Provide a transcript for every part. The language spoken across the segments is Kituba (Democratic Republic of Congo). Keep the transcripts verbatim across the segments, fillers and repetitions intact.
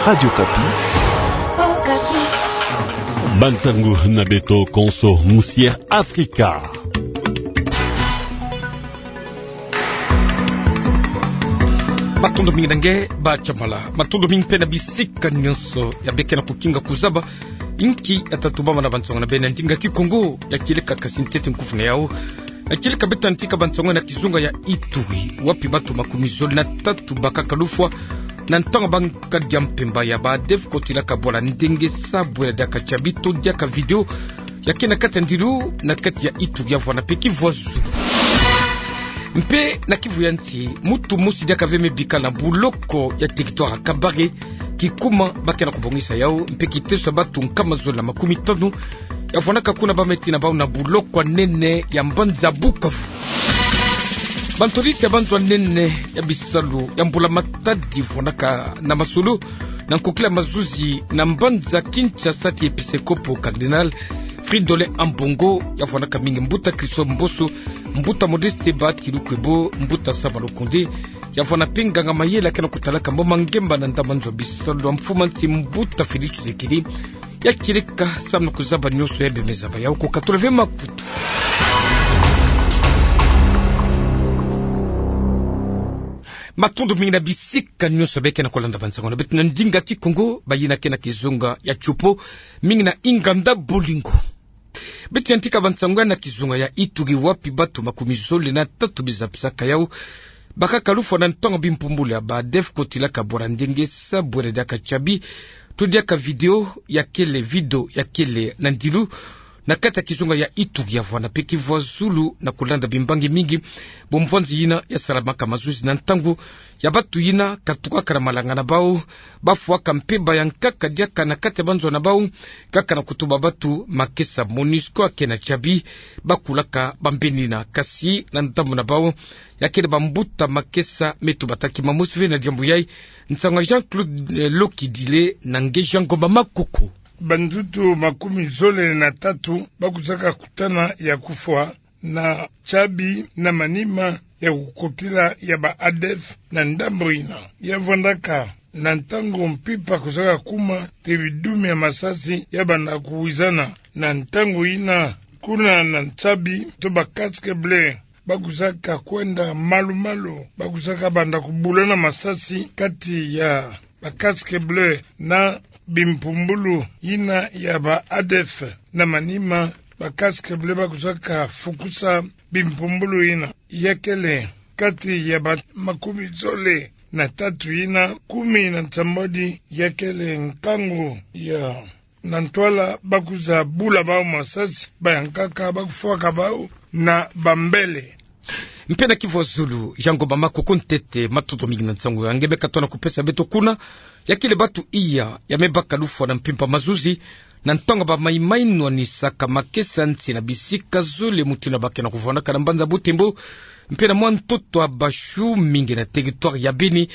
Radio Okapi. Bansangu na beto konso, Musière Afrika. Matondo mingi na nge, Ba Chamala. Matondo mingi mpe na bisika nyonso ya beke na kukinga kuzaba. Inki ya tatu bama na bansangu na beno na ndinga Kikongo, ya kieleka kasi ntete nkufu na yau. Ya kieleka beto yantika bansangu na kizunga ya Ituri, wapi batu makumi zole na tatu bakaka lufwa na ntangu ba nkadi a mpemba ya ba ADF kotilaka bwala ndenge sa bwela diaka tiabi to diaka video ya ke na kati ya ndilu na kati ya Ituri ya vwanda mpe Kivu ya Zulu. Mpe na Kivu ya Nsi, mutu mosi diaka ve me bikala na buloko ya territoire ya Kabare, kikuma ba ke na kubongisa yau, mpe kiteso ya batu nkama zole na makumi tanu ya vwandaka kuna ba me tina bau na buloko ya nene ya mbanza Bukavu. Bantolisi ya banzo ya nene ya bisalu ya mbula-matadi vwandaka na masolo na nkokila mazuzi na mbanza Kinshasa ti episkopo cardinal Fridolin Ambongo, ya vwandaka mingi mbuta Christophe Mboso, mbuta Modeste Bahati Lukwebo, mbuta Sama Lukonde, ya vwanda mpe nganga-mayele ya ke na kutalaka mambu ma ngemba na ndambu ya nzo ya bisalu ya mfumu a nsi mbuta Félix Tshisekedi. Ya kieleka samu na kuzaba nyonso ya bembe zaba yau, ko katula ve makutu. Matondo mingi na bisika nyonso beke na kolanda bansangu na beto na ndinga Kikongo, bayina ke na kizunga ya Tshopo, mingi na inganda bolingo. Beto yantika bansangu ya na kizunga ya Ituri, wapi batu makumi zole na tatu bizapisaka yau bakaka lufwa na ntangu bimpumbulu ya ba ADF kotilaka bwala ndenge sa bwela diaka tiabi to diaka video ya kele, video ya kele na ndilu na kati ya kizunga ya Ituri ya vwanda mpe Kivu ya Zulu, na kulanda bimbangi mingi bomvwanzi yina ya salamaka mazuzi na ntangu ya batu yina katukaka na malanga na bau, bafwaka mpemba ya nkaka diaka na kati ya banzo na bau, kaka na kutuba batu makesa MONUSCO ya ke na tiabi, bakulaka bambeni yina. Kasi na ndambu na bau, ya kele bambuta makesa me tubataki mamosi ve na diambu yai. Nsangu ya Jean-Claude, eh, Lokidile na nge Jean Ngomba Makoko. Banzutu makumi zole na tatu bakusaka kutana ya kufwa na tiabi na manima ya kukotila ya ba ADF na ndambu yina. Ya vwandaka na ntangu mpimpa kusaka kuma ti bidumi ya masasi ya banda kuwizana. Na ntangu yina, kuna na tiabi to ba casque bleu bakusaka kwenda malu-malu, bakusaka banda kubulana masasi kati ya ba casque bleu na bimpumbulu yina ya ba ADF. Na manima, ba casque bleu bakusaka fukusa bimpumbulu yina. Ya kele kati ya ba makumi zole na tatu yina, kumi na nsambwadi ya kele nkangu ya na ntwala, bakuza bula bau masasi, ba ya nkaka bakufwaka bau na bambele. Mpe na Kivu ya Zulu, Jean Ngomba Makoko ntete, matondo mingi na nsangu ya nge me katoa na kupesa beto kuna. Ya kele batu iya ya me baka lufwa na mpimpa mazuzi na ntangu ba maimai nwanisaka makesa nsi na bisika zole, mutindu ba ke na kuvwandaka na mbanza Butembo mpe na mwa ntoto ya Bashu, mingi na territoire ya Beni.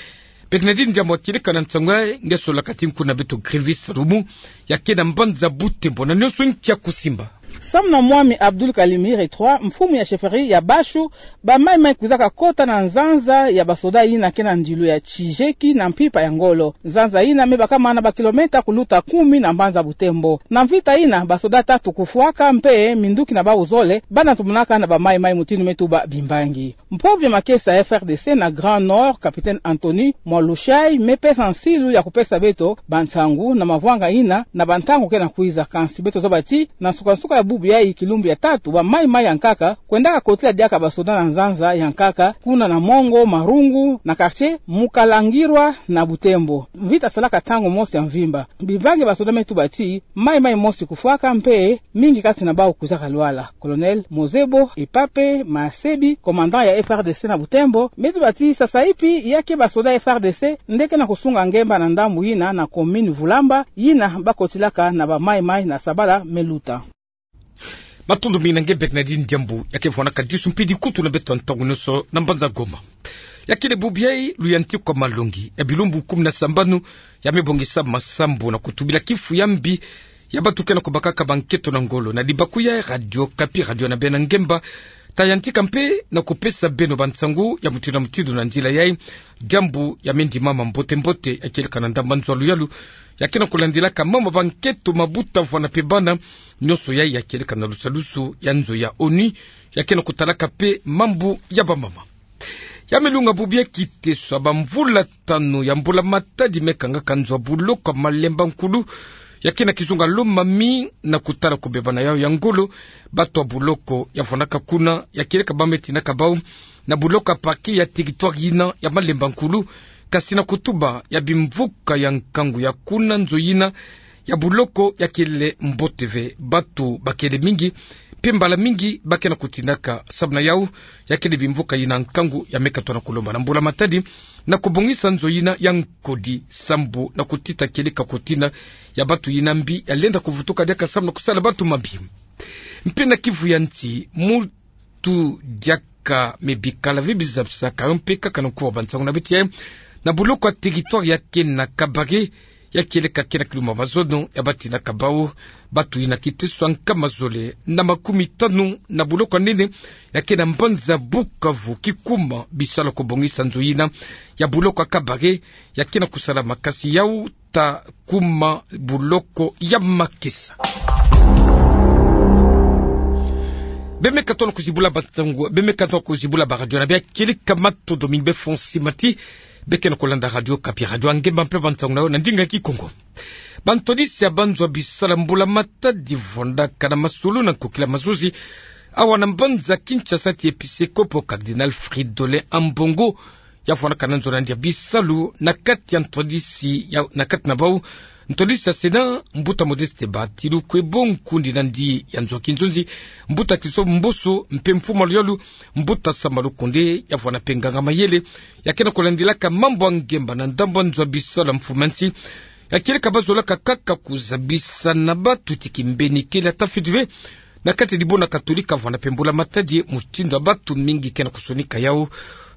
Bernardine Diambu, ya kieleka na nsangu yai, nge solaka ti nkuna beto Grivis Rumu, ya ke na mbanza Butembo, na nyonso nki ya kusimba. Samu na mwami Abdul Kalimiri trois, mfumu ya chefferie ya Bashu, ba maimai kwizaka kota na nzanza ya basoda yina ke na ndilu ya Tshijeki na mpimpa ya ngolo. Nzanza yina me bakama na ba kilomètre kuluta kumi na mbanza Butembo. Na mvita yina, basoda tatu kufwaka mpe minduki na bau zole bana tumunaka na ba maimai, mutindu me tuba bimbangi. Mpovia makesa ya F R D C na Grand Nord, capitaine Anthony Mwalushai, me pesa nsilu ya kupesa beto bansangu na mavwanga yina na bantangu ke na kwiza. Kansi beto zaba ti na nsuka-nsuka ya bubu yai, kilumbu ya tatu, ba maimai ya nkaka kwendaka kotila diaka basoda na nzanza ya nkaka, kuna na Mongo Marungu, na quartier Mukalangirwa na Butembo. Mvita salaka ntangu mosi ya mvimba. Bimbangi, basoda me tuba ti maimai mosi kufwaka mpe mingi kati na bau kwizaka lwala. Colonel Mozebo Epape Masebi, commandant ya F R D C na Butembo, me tuba ti sasa ipi ya ke basoda ya F R D C nde ke na kusunga ngemba na ndambu yina na commune Vulamba, yina bakotilaka na ba maimai na sabala me luta. Matondo mingi na nge Bernardine Diambu, ya ke vwandaka disu mpe dikutu na beto ntangu nyonso na mbanza Goma. Ya kele bubu yai, luyantiku ya malongi ya bilumbu kumi na sambanu ya me bongisa masambu na kutubila kifu ya mbi ya batu ke na kubakaka bankento na ngolo na libaku ya Radio Okapi, radio na beno ya ngemba, Tayantika mpe na kupesa beno bansangu ya mutindu na mutindu na nzila yai, diambu ya mendima mambote-mbote ya kieleka na ndambu nzo ya luyalu, ya ke na kulandilaka mama banketo, mabuta, vwanda mpe bana, nionso yai ya kieleka na lusalusu ya nzo ya ONU, ya ke na kutalaka mpe mambu ya bamama. Ya milunga bubu ya kiteso, bamvula tanu ya mbula matadi me kangaka nzo ya buloko ya Malemba Nkulu, ya ke na kizunga Lomami, na kutala kubebana yau ya ngolo, bato ya buloko ya vwandaka kuna, ya kieleka ba me tinaka bau na buloko ya parquet ya territoire yina ya Malemba Nkulu, kasi na kutuba ya bimvuka ya nkangu ya kuna, nzo yina ya buloko ya kele mbote ve, bato ba kele mingi, mpe mbala mingi ba ke na kutinaka. Samu na yau, ya kele bimvuka yina nkangu ya me katuka na kulomba na mbula matadi na kubongisa nzo yina ya nkodi, sambu na kutita kieleka kutina ya bato yina mbi ya lenda kuvutuka diaka samu na kusala bato mabi. Mpe na kivu ya nsi, mutu diaka me bikala ve bizabisaka yo mpe kaka na nkuwa bansangu na beto yai, na buloko ya territoire ya ke na Kabare, ya kieleka ke na kiluma mazono, ya ba tinaka bau bato yina kiteso ya nkama zole na makumitanu na buloko ya nene ya ke na mbanza Bukavu, kikuma bisalu ya kubongisa nzo yina ya buloko ya Kabare, ya ke na kusalama, kasi yau ta kuma buloko ya makesa. Be me katuka na kuzibula bansangu, be me katuka na kuzibula ba radio na bia, kieleka matondo mingi, be fonsi mati, be ke na kulanda Radio Okapi, radio ya ngemba mpe bansangu na yo na ndinga ya Kikongo. Bantwadisi ya banzo ya bisalu ya mbula matadi vwandaka na masolo na nkokila mazuzi awa na mbanza Kinshasa, ti episkopo Cardinal Fridolin Ambongo, ya vwandaka na nzo na ndia bisalu na kati ya ntwadisi ya, na kati na bau, ntwadisi ya Sénat, mbuta Modeste Bacilukwebo, nkundi na ndi ya nzo ya kinzonzi, mbuta Christophe Mboso, mpe mfumu ya luyalu, mbuta Sama Lukonde, ya vwanda mpe nganga-mayele ya ke na kulandilaka mambu ya ngemba na ndambu ya nzo ya bisalu ya mfumu ya nsi, ya kieleka ba zolaka kaka kuzabisana bato ti kimbeni kele ata fiti ve na kati ya dibundu ya Katolika, vwanda mpe mbula matadi, mutindu ya bato mingi ke na kusonika yau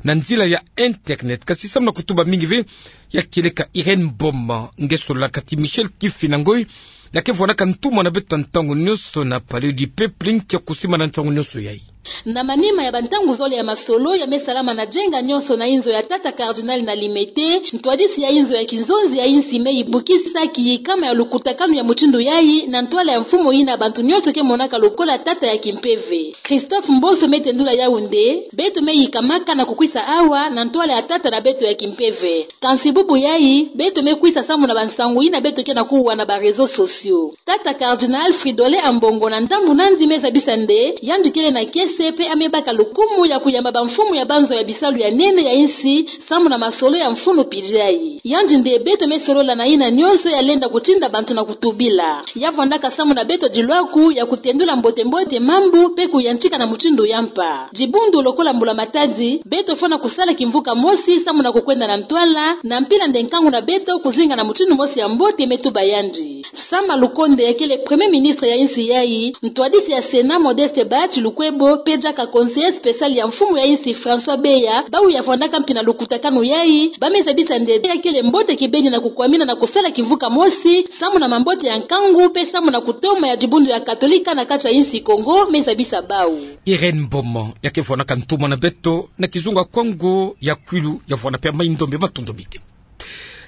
na nzila ya internet. Kasi samu na kutuba mingi ve, ya kieleka Irène Mboma, nge sololaka ti Michel Kifina Ngoy, ya ke vwandaka ntumwa na beto ntangu nionso na Palais du Peuple, nki ya kusimbana ntangu nionso yai. Na manima ya bantangu zole ya masolo ya me salama na jenga nionso na inzo ya tata Cardinal na Limete, ntwadisi ya inzo ya kinzonzi ya insi me yibukisa kiyikama ya lukutakanu ya mutindu yai na ntwala ya mfumu yina bantu nionso ke monaka lokola tata ya kimpeve. Christophe Mboso me tendula yau nde: beto me yikamaka na kukwisa awa na ntwala ya tata na beto ya kimpeve. Kansi bubu yai, beto me kwisa samu na bansangu yina beto ke na kuwa na ba réseaux sociaux. Tata Cardinal Fridolin Ambongo na ndambu na ndi me zabisa nde yandi kele na kiese mpe a me baka lukumu ya kuyamba bamfumu ya banzo ya bisalu ya nene ya insi samu na masolo ya mfunu pili yai. Yandi nde beto me solola na yina nionso ya lenda kutinda bantu na kutubila. Ya vwandaka samu na beto dilwaku ya kutendula mbote-mbote mambu mpe kuyantika na mutindu ya mpa. Dibundu lokola mbula matadi, beto fwana kusala kimvuka mosi samu na kukwenda na ntwala, na mpila nde nkangu na beto kuzinga na mutindu mosi ya mbote, me tuba yandi. Sama Lukonde, ya kele Premier Ministre ya insi yai, ntwadisi ya Sénat Modeste Bacilukwebo, mpe diaka conseiller spécial ya mfumu ya insi François Beya, bau ya vwandaka mpi na lukutakanu yai, ba me zabisa nde ya kele mbote kibeni na kukwamina na kusala kimvuka mosi samu na mambote ya nkangu mpe samu na kutoma ya dibundu ya Katolika na kati ya insi Kongo, me zabisa bau. Irène Mboma, ya ke vwandaka ntumwa na beto na kizunga Kongo ya kwilu, ya vwanda mpe mai ndombe, matondo mingi.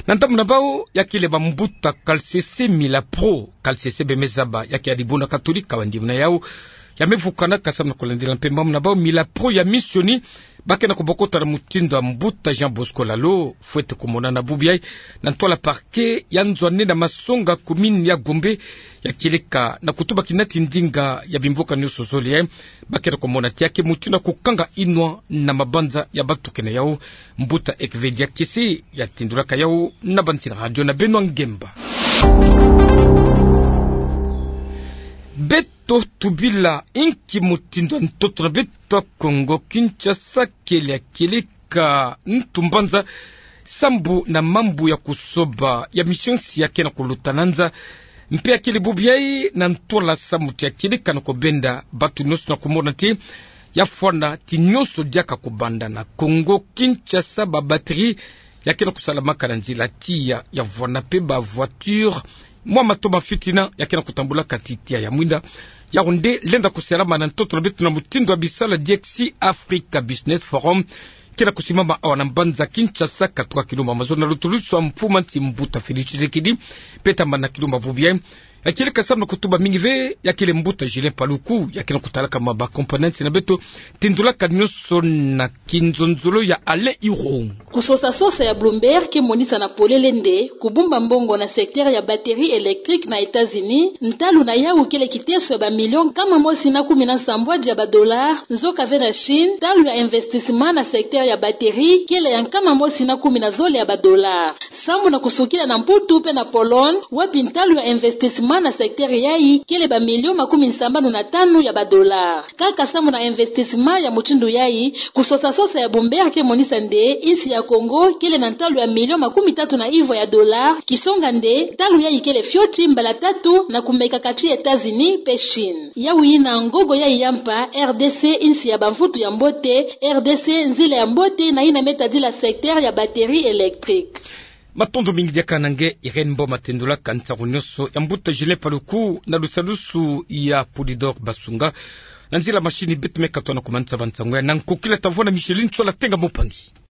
Na ndambu na bau, ya kele bambuta Kalsese Mila Pro, Kalsese be me zaba ya ke ya dibundu ya Katolika, wa ndimbu na yau ya me vukanaka samu na kulandila mpe mambu na bau Mila Pro ya misioni, ba ke na kubokota na mutindu ya mbuta Jean Bosco Lalo, fwete kumonana bubu yai na ntwala parquet ya nzo ya nene ya Masonga, commune ya Gombe, ya kieleka na kutuba kina ti ndinga ya bimvuka nionso zole yai, ba ke na kumona ti ya ke mutindu ya kukanga inwa na mabanza ya batukene yau. Mbuta Ekvedia Kese ya tindulaka yau na bansi na radio na beno ya ngemba. Beto tubila inki mutindu ya ntoto na beto ya Kongo Kinshasa kele ya kieleka ntu mbanza sambu na mambu ya kusoba ya mission nsi ya ke na kuluta na nza, mpe ya kele bubu yai na ntwala samu ti ya kieleka na kubenda bato nionso na kumona ti ya fwana ti nionso diaka kubanda na Kongo Kinshasa. Ba batterie ya ke na kusalamaka na nzila tiya, ya vwanda mpe ba voiture mwa mato ma fitina ya ke na kutambulaka ti tia ya mwinda. Yawu nde lenda kusalama na ntoto na beto na mutindu ya bisala D X C Africa Business Forum ke na kusimama awa na mbanza Kinshasa, katuka kilumba mazono na lutulusu ya mfumu a nsi mbuta Félix Tshisekedi, mpe tambana kilumba bubu yayi. Ya kele kasamu na kutuba mingi ve, ya kele mbuta Julien Paluku, ya ke na kutalaka ma ba components na beto, tindulaka nionso na kinzonzolo ya Alain Irung. Kusosa sosa ya Bloomberg ke monisa na polele nde kubumba mbongo na secteur ya batterie électrique na États-Unis, ntalu na yawu kele kiteso ya ba millions nkama mosi na kumi na nsambwadi ya ba dollars, nzoka ve na Chine, ntalu ya investissement na secteur ya batterie kele ya nkama mosi na kumi na zole ya ba dollars. Sambu na kusukila na Mputu mpe na Pologne, wapi ntalu ya investissement na secteur yayi kele ba millions makumi sambanu na tanu ya ba dollars. Kaka sambu na investissement ya mutindu yayi, kusosa sosa ya Bloomberg ke monisa nde insi ya Congo kele na ntalu ya millions makumi tatu na ivwa ya dollars, kisonga nde ntalu yayi kele fioti mbala tatu na kumeka kati États-Unis mpe Chine. Yawu yina ngogo yayi ya mpa, R D C insi ya bamvutu ya mbote, R D C nzila ya mbote na yina me tadila secteur ya batterie électrique. Matondo mingi diaka na nge Irène Mboma, tendulaka nsangu nionso ya mbuta Julien Paluku na lusalusu ya Polydor Basunga, na nzila machine. Beto me katoa na kumanisa ba nsangu ya na nkokila tavona Micheline Sola Tenga Mopangi.